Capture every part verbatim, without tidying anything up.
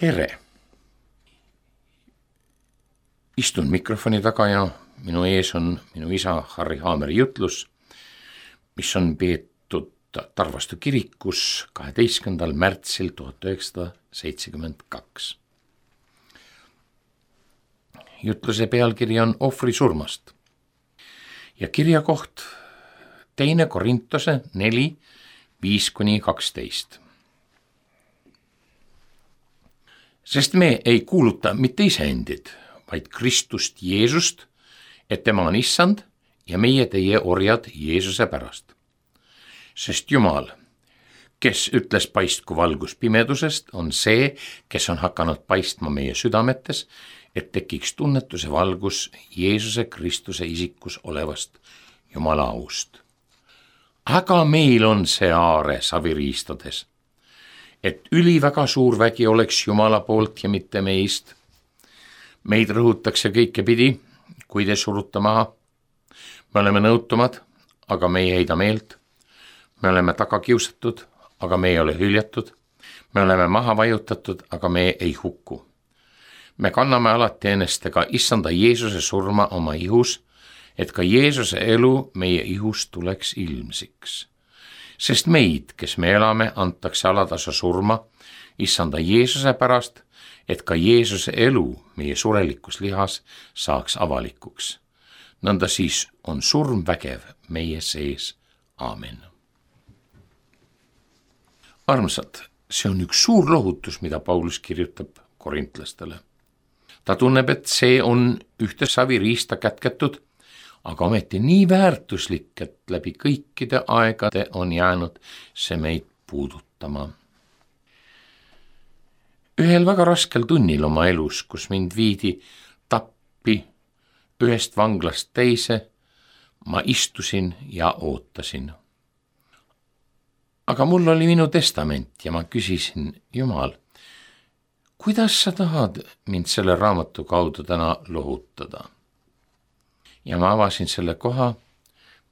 tere! Istun mikrofoni taga ja minu ees on minu isa Harri Haameri jutlus, mis on peetud Tarvastu kirikus kaheteistkümnendal märtsil tuhat üheksasada seitsekümmend kaks. Jutluse pealkiri on ohvri surmast ja kirja koht teine Korintuse neli, viis kuni kaksteist. Sest me ei kuuluta mitte iseendid, vaid Kristust Jeesust, et tema on issand ja meie teie orjad Jeesuse pärast. Sest Jumal, kes ütles paistku valgus pimedusest, on see, kes on hakanud paistma meie südametes, et tekiks tunnetuse valgus Jeesuse Kristuse isikus olevast Jumala aust. Aga meil on see aare saviriistades, et üliväga suur vägi oleks Jumala poolt ja mitte meist. Meid rõhutakse kõike pidi, kui te suruta maha. Me oleme nõutumad, aga me ei heida meelt. Me oleme tagakiusatud, aga me ei ole hüljatud. Me oleme maha vajutatud, aga me ei hukku. Me kanname alati ennestega issanda Jeesuse surma oma ihus, et ka Jeesuse elu meie ihus tuleks ilmsiks. Sest meid, kes me elame, antakse alatasa surma issanda Jeesuse pärast, et ka Jeesuse elu meie surelikus lihas saaks avalikuks. Nõnda siis on surm vägev meie sees. Aamen. Armsad, see on üks suur lohutus, mida Paulus kirjutab korintlastele. Ta tunneb, et see on ühte saviriista kätketud, aga ometi nii väärtuslik, et läbi kõikide aegade on jäänud see meid puudutama. Ühel väga raskel tunnil oma elus, kus mind viidi tappi ühest vanglast teise, ma istusin ja ootasin. Aga mul oli minu testament ja ma küsisin, Jumal, kuidas sa tahad mind selle raamatu kaudu täna lohutada? Ja ma avasin selle koha,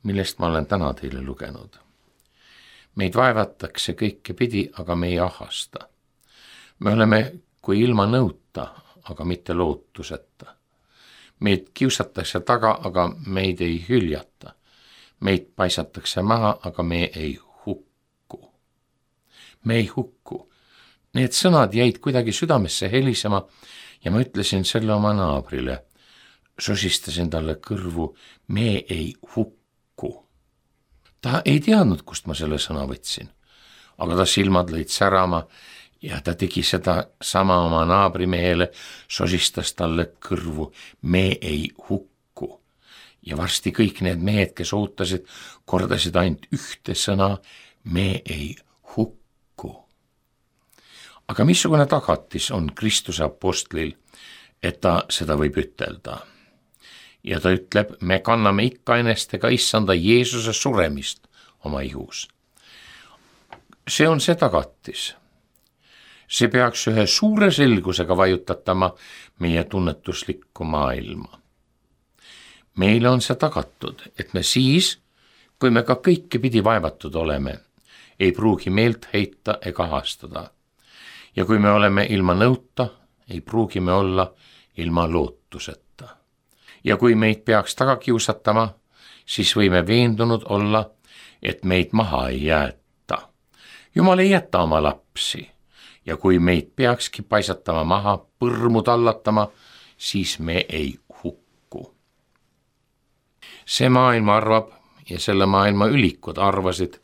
millest ma olen täna teile lugenud. Meid vaevatakse kõike pidi, aga me ei ahasta. Me oleme kui ilma nõuta, aga mitte lootuseta. Meid kiusatakse taga, aga meid ei hüljata. Meid paisatakse maha, aga me ei hukku. Me ei hukku. Need sõnad jäid kuidagi südamesse helisema ja ma ütlesin selle oma naabrile. Sosistasin talle kõrvu, me ei hukku. Ta ei teadnud, kust ma selle sõna võtsin, aga ta silmad lõid särama ja ta tegi seda sama oma naabrimehele, sosistas talle kõrvu, me ei hukku. Ja varsti kõik need mehed, kes ootasid, kordasid ainult ühte sõna, me ei hukku. Aga missugune tagatis on Kristuse apostlil, et ta seda võib ütelda? Ja ta ütleb, me kanname ikka ennestega issanda Jeesuse suremist oma ihus. See on see tagatis. See peaks ühe suure selgusega vajutatama meie tunnetuslikku maailma. Meile on see tagatud, et me siis, kui me ka kõike pidi vaevatud oleme, ei pruugi meelt heita ega ahastada. Ja kui me oleme ilma nõuta, ei pruugi me olla ilma lootuseta. Ja kui meid peaks taga kiusatama, siis võime veendunud olla, et meid maha ei jäeta. Jumal ei jäta oma lapsi ja kui meid peakski paisatama maha, põrmu tallatama, siis me ei hukku. See maailma arvab ja selle maailma ülikud arvasid,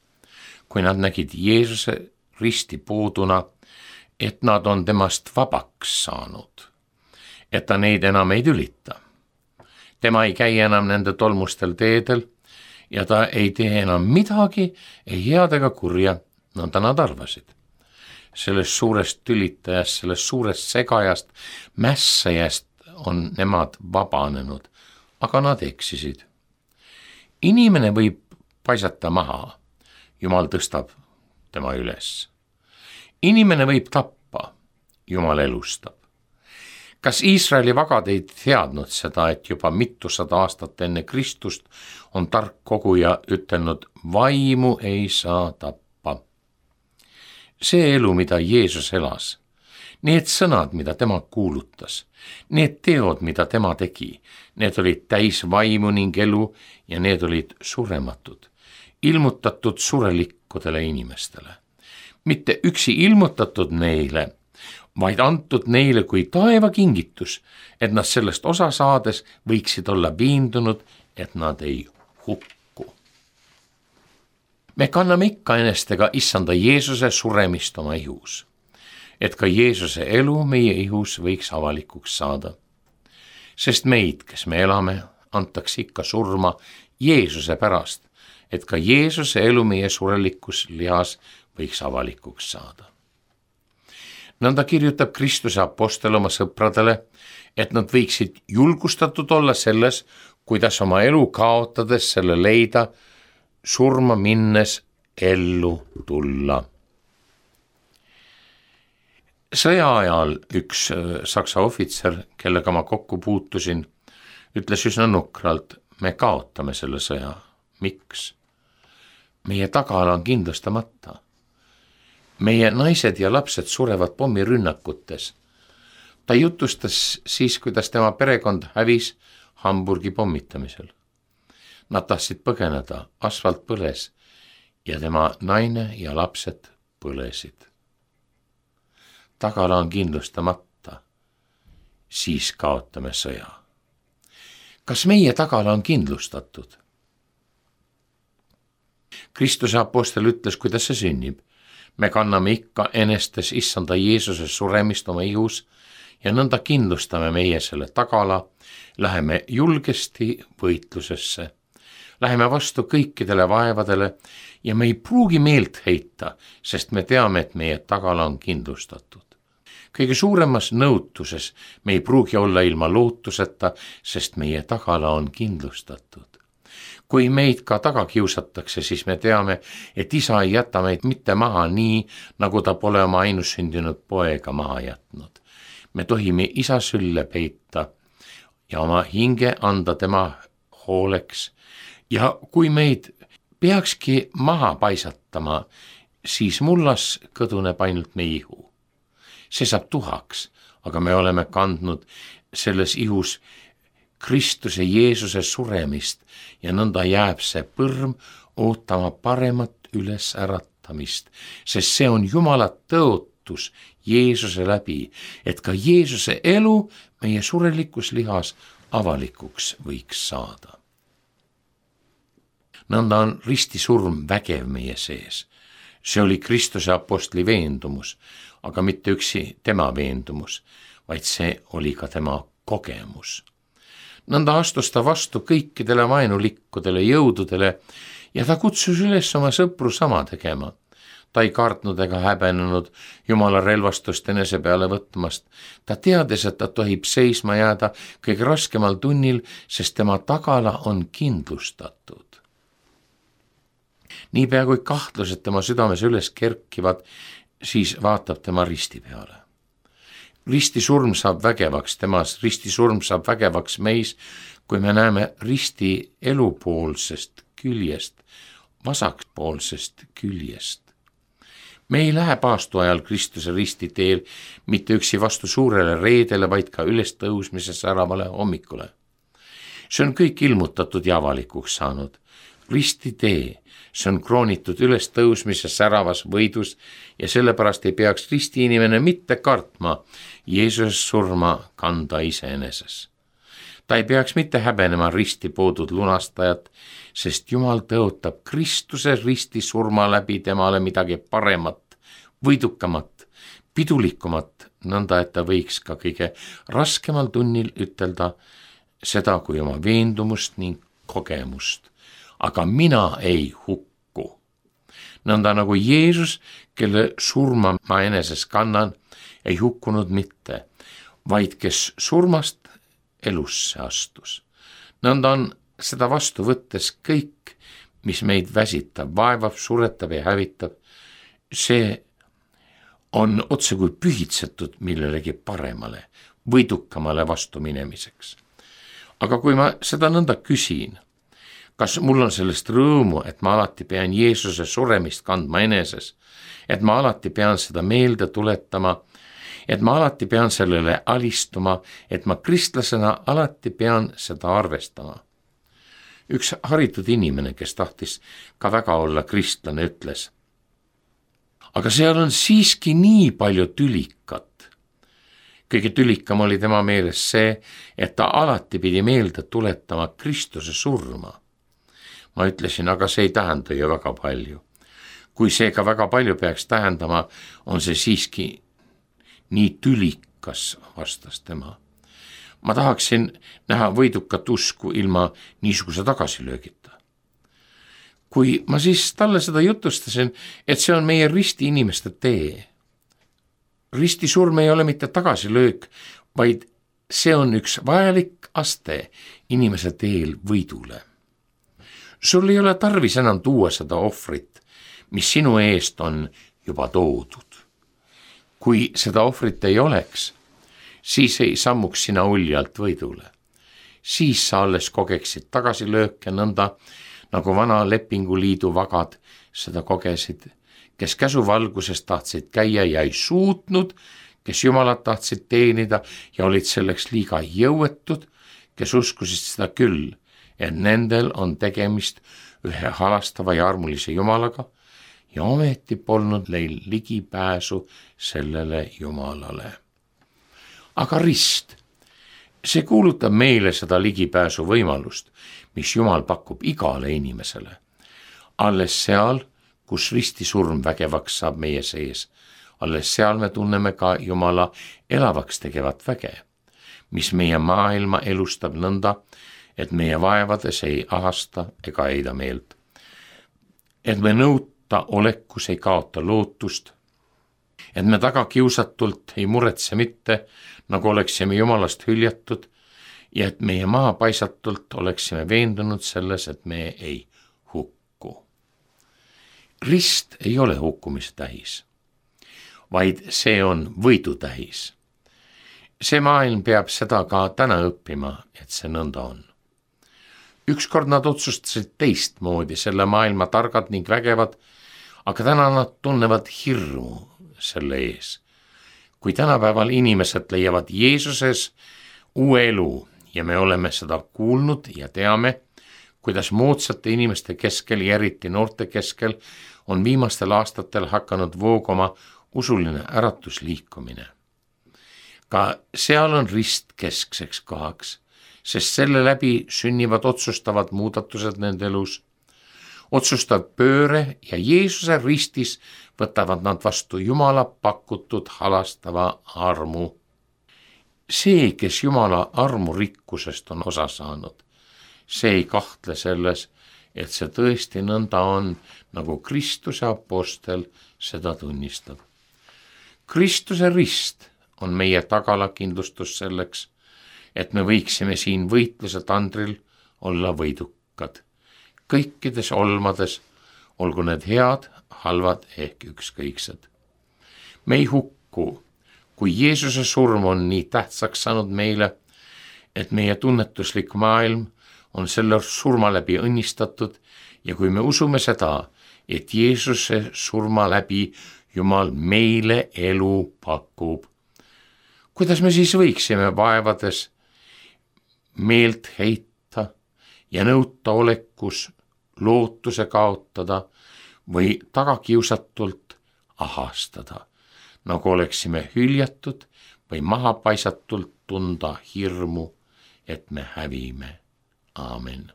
kui nad nägid Jeesuse risti pooduna, et nad on temast vabaks saanud, et ta neid enam ei tülita. Tema ei käi enam nende tolmustel teedel ja ta ei tee enam midagi, ei head ega kurja, nõnda nad arvasid. Sellest suurest tülitajast, sellest suurest segajast, mässajast on nemad vabanenud, aga nad eksisid. Inimene võib paisata maha, Jumal tõstab tema üles. Inimene võib tappa, Jumal elustab. Kas Iisraeli vagad ei teadnud seda, et juba mitusada aastat enne Kristust on tark koguja ütelnud, vaimu ei saa tappa. See elu, mida Jeesus elas, Need sõnad, mida tema kuulutas, need teod, mida tema tegi, need olid täis vaimu ning elu ja need olid surematud, ilmutatud surelikkudele inimestele. Mitte üksi ilmutatud neile, vaid antud neile kui taeva kingitus, et nad sellest osa saades võiksid olla veendunud, et nad ei hukku. Me kanname ikka enestega issanda Jeesuse suremist oma ihus, et ka Jeesuse elu meie ihus võiks avalikuks saada. Sest meid, kes me elame, antakse ikka surma Jeesuse pärast, et ka Jeesuse elu meie surelikus lihas võiks avalikuks saada. Nõnda kirjutab Kristuse apostel oma sõpradele, et nad võiksid julgustatud olla selles, kuidas oma elu kaotades selle leida, surma minnes ellu tulla. Sõja ajal üks saksa ohvitser, kellega ma kokku puutusin, ütles üsna nukralt, me kaotame selle sõja. Miks? Meie tagala on kindlustamata. Meie naised ja lapsed surevad pommirünnakutes. Ta jutustas siis, kuidas tema perekond hävis Hamburgi pommitamisel. Nad tahtsid põgeneda, asfalt põles ja tema naine ja lapsed põlesid. Tagala on kindlustamata, siis kaotame sõja. Kas meie tagala on kindlustatud? Kristuse apostel ütles, kuidas see sünnib. Me kanname ikka enestes issanda Jeesuse suremist oma ihus ja nõnda kindlustame meie selle tagala, läheme julgesti võitlusesse, läheme vastu kõikidele vaevadele ja me ei pruugi meelt heita, sest me teame, et meie tagala on kindlustatud. Kõige suuremas nõutuses me ei pruugi olla ilma lootuseta, sest meie tagala on kindlustatud. Kui meid ka taga kiusatakse, siis me teame, et isa ei jäta meid mitte maha nii, nagu ta pole oma ainussündinud poega maha jätnud. Me tohime isa sülle peita ja oma hinge anda tema hooleks. Ja kui meid peakski maha paisatama, siis mullas kõduneb ainult meie ihu. See saab tuhaks, aga me oleme kandnud selles ihus Kristuse Jeesuse suremist ja nõnda jääb see põrm ootama paremat ülesäratamist, sest see on Jumala tõotus Jeesuse läbi, et ka Jeesuse elu meie surelikus lihas avalikuks võiks saada. Nõnda on ristisurm vägev meie sees. See oli Kristuse apostli veendumus, aga mitte üksi tema veendumus, vaid see oli ka tema kogemus. Nõnda astus ta vastu kõikidele vaenulikkudele jõududele ja ta kutsus üles oma sõpru sama tegema. Ta ei kartnud ega häbenenud Jumala relvastust enese peale võtmast. Ta teades, et ta tohib seisma jääda kõige raskemal tunnil, sest tema tagala on kindlustatud. Niipea kui kahtlused tema südames üles kerkivad, siis vaatab tema risti peale. Ristisurm saab vägevaks temas, ristisurm saab vägevaks meis, kui me näeme risti elupoolsest küljest, vasakpoolsest küljest. Me ei lähe paastu ajal Kristuse risti teel mitte üksi vastu suurele reedele, vaid ka ülestõusmise säravale hommikule. See on kõik ilmutatud ja avalikuks saanud. Risti tee, see on kroonitud ülestõusmise säravas võidus ja sellepärast ei peaks risti inimene mitte kartma Jeesuse surma kanda iseeneses. Ta ei peaks mitte häbenema risti poodud lunastajat, sest Jumal tõotab Kristuse risti surma läbi temale midagi paremat, võidukamat, pidulikumat, nõnda et ta võiks ka kõige raskemal tunnil ütelda seda kui oma veendumust ning kogemust. Aga mina ei hukku. Nõnda nagu Jeesus, kelle surma ma eneses kannan, ei hukkunud mitte, vaid kes surmast elusse astus. Nõnda on seda vastu võttes kõik, mis meid väsitab, vaevab, suretab ja hävitab, see on otse kui pühitsetud millelegi paremale, võidukamale vastu minemiseks. Aga kui ma seda nõnda küsin, kas mul on sellest rõõmu, et ma alati pean Jeesuse suremist kandma eneses, et ma alati pean seda meelde tuletama et ma alati pean sellele alistuma, et ma kristlasena alati pean seda arvestama. Üks haritud inimene, kes tahtis ka väga olla kristlane, ütles: aga seal on siiski nii palju tülikat. Kõige tülikam oli tema meeles see, et ta alati pidi meelde tuletama Kristuse surma. Ma ütlesin, aga see ei tähenda ju väga palju. Kui see ka väga palju peaks tähendama, on see siiski nii tülikas, vastas tema. Ma tahaksin näha võidukat usku ilma niisuguse tagasilöögita. Kui ma siis talle seda jutustasin, et see on meie risti inimeste tee. Risti surm ei ole mitte tagasilöök, vaid see on üks vajalik aste inimese teel võidule. Sul ei ole tarvis enam tuua seda ohvrit, mis sinu eest on juba toodud. Kui seda ohvrit ei oleks, siis ei sammuks sina uljalt võidule. Siis sa alles kogeksid tagasilööke nõnda, nagu vana lepinguliidu vagad seda kogesid, kes käsuvalguses tahtsid käia ja ei suutnud, kes Jumalat tahtsid teenida ja olid selleks liiga jõuetud, kes uskusid seda küll, et nendel on tegemist ühe halastava ja armulise Jumalaga ja ometi polnud neil ligipääsu sellele Jumalale. Aga rist, see kuulutab meile seda ligipääsu võimalust, mis Jumal pakub igale inimesele. Alles seal, kus ristisurm vägevaks saab meie sees, alles seal me tunneme ka Jumala elavaks tegevat väge, mis meie maailma elustab nõnda, et meie vaevades ei ahasta ega heida meelt. Et me nõuta olekus ei kaota lootust, et me tagakiusatult ei muretse mitte, nagu oleksime Jumalast hüljatud, ja et meie maapaisatult oleksime veendunud selles, et me ei hukku. Rist ei ole hukkumise tähis, vaid see on võidu tähis. See maailm peab seda ka täna õppima, et see nõnda on. Ükskord nad otsustasid teistmoodi, selle maailma targad ning vägevad, aga täna nad tunnevad hirmu selle ees. Kui tänapäeval inimesed leiavad Jeesuses uue elu ja me oleme seda kuulnud ja teame, kuidas moodsate inimeste keskel ja eriti noorte keskel on viimastel aastatel hakanud voogama usuline äratusliikumine. Ka seal on rist keskseks kohaks, sest selle läbi sünnivad otsustavad muudatused nende elus. Otsustav pööre ja Jeesuse ristis võtavad nad vastu Jumala pakutud halastava armu. See, kes Jumala armu rikkusest on osa saanud, see ei kahtle selles, et see tõesti nõnda on, nagu Kristuse apostel seda tunnistab. Kristuse rist on meie tagalakindlustus selleks, et me võiksime siin võitluse tandril olla võidukad. Kõikides olmades, olgu need head, halvad ehk ükskõiksed. Me ei hukku, kui Jeesuse surm on nii tähtsaks saanud meile, et meie tunnetuslik maailm on selle surma läbi õnnistatud ja kui me usume seda, et Jeesuse surma läbi Jumal meile elu pakub, kuidas me siis võiksime vaevades meelt heita ja nõuta olekus lootuse kaotada või tagakiusatult ahastada, nagu oleksime hüljatud või mahapaisatult tunda hirmu, et me hävime. Aamen.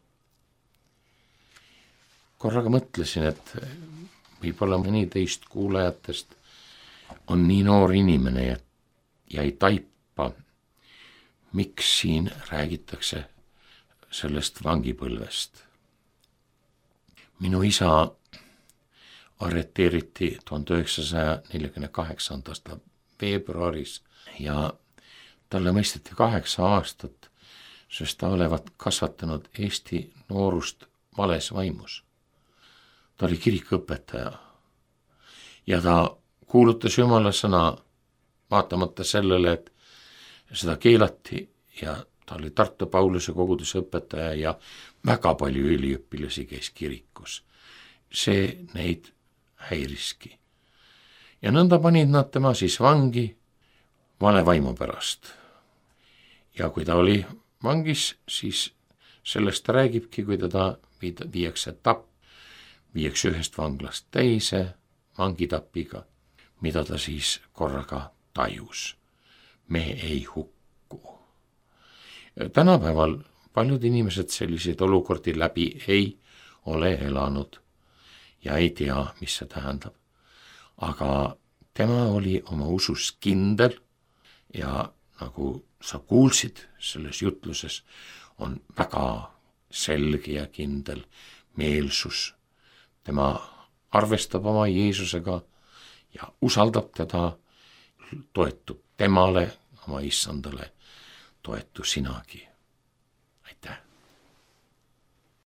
Korraga mõtlesin, et võib-olla mõni teist kuulajatest on nii noor inimene ja, ja ei taipa, miks siin räägitakse sellest vangipõlvest. Minu isa arreteeriti tuhande üheksasaja neljakümne kaheksanda veebruaris ja talle mõisteti kaheksa aastat, sest ta olevat kasvatanud Eesti noorust vales vaimus. Ta oli kirikuõpetaja ja ta kuulutas Jumala sõna vaatamata sellele, et seda keelati ja ta oli Tartu Pauluse koguduse õpetaja ja väga palju üliõpilasi käis kirikus. See neid häiriski. Ja nõnda panid nad tema siis vangi, vale vaimu pärast. ja kui ta oli vangis, siis sellest ta räägibki, kui teda viiakse tapp, viiakse ühest vanglast teise vangitapiga, mida ta siis korraga tajus. me ei hukku. tänapäeval paljud inimesed selliseid olukordi läbi ei ole elanud ja ei tea, mis see tähendab. aga tema oli oma usus kindel ja nagu sa kuulsid selles jutluses, on väga selge ja kindel meelsus. tema arvestab oma Jeesusega ja usaldab teda, toetub temale, oma issandale, toetu sinagi. aitäh!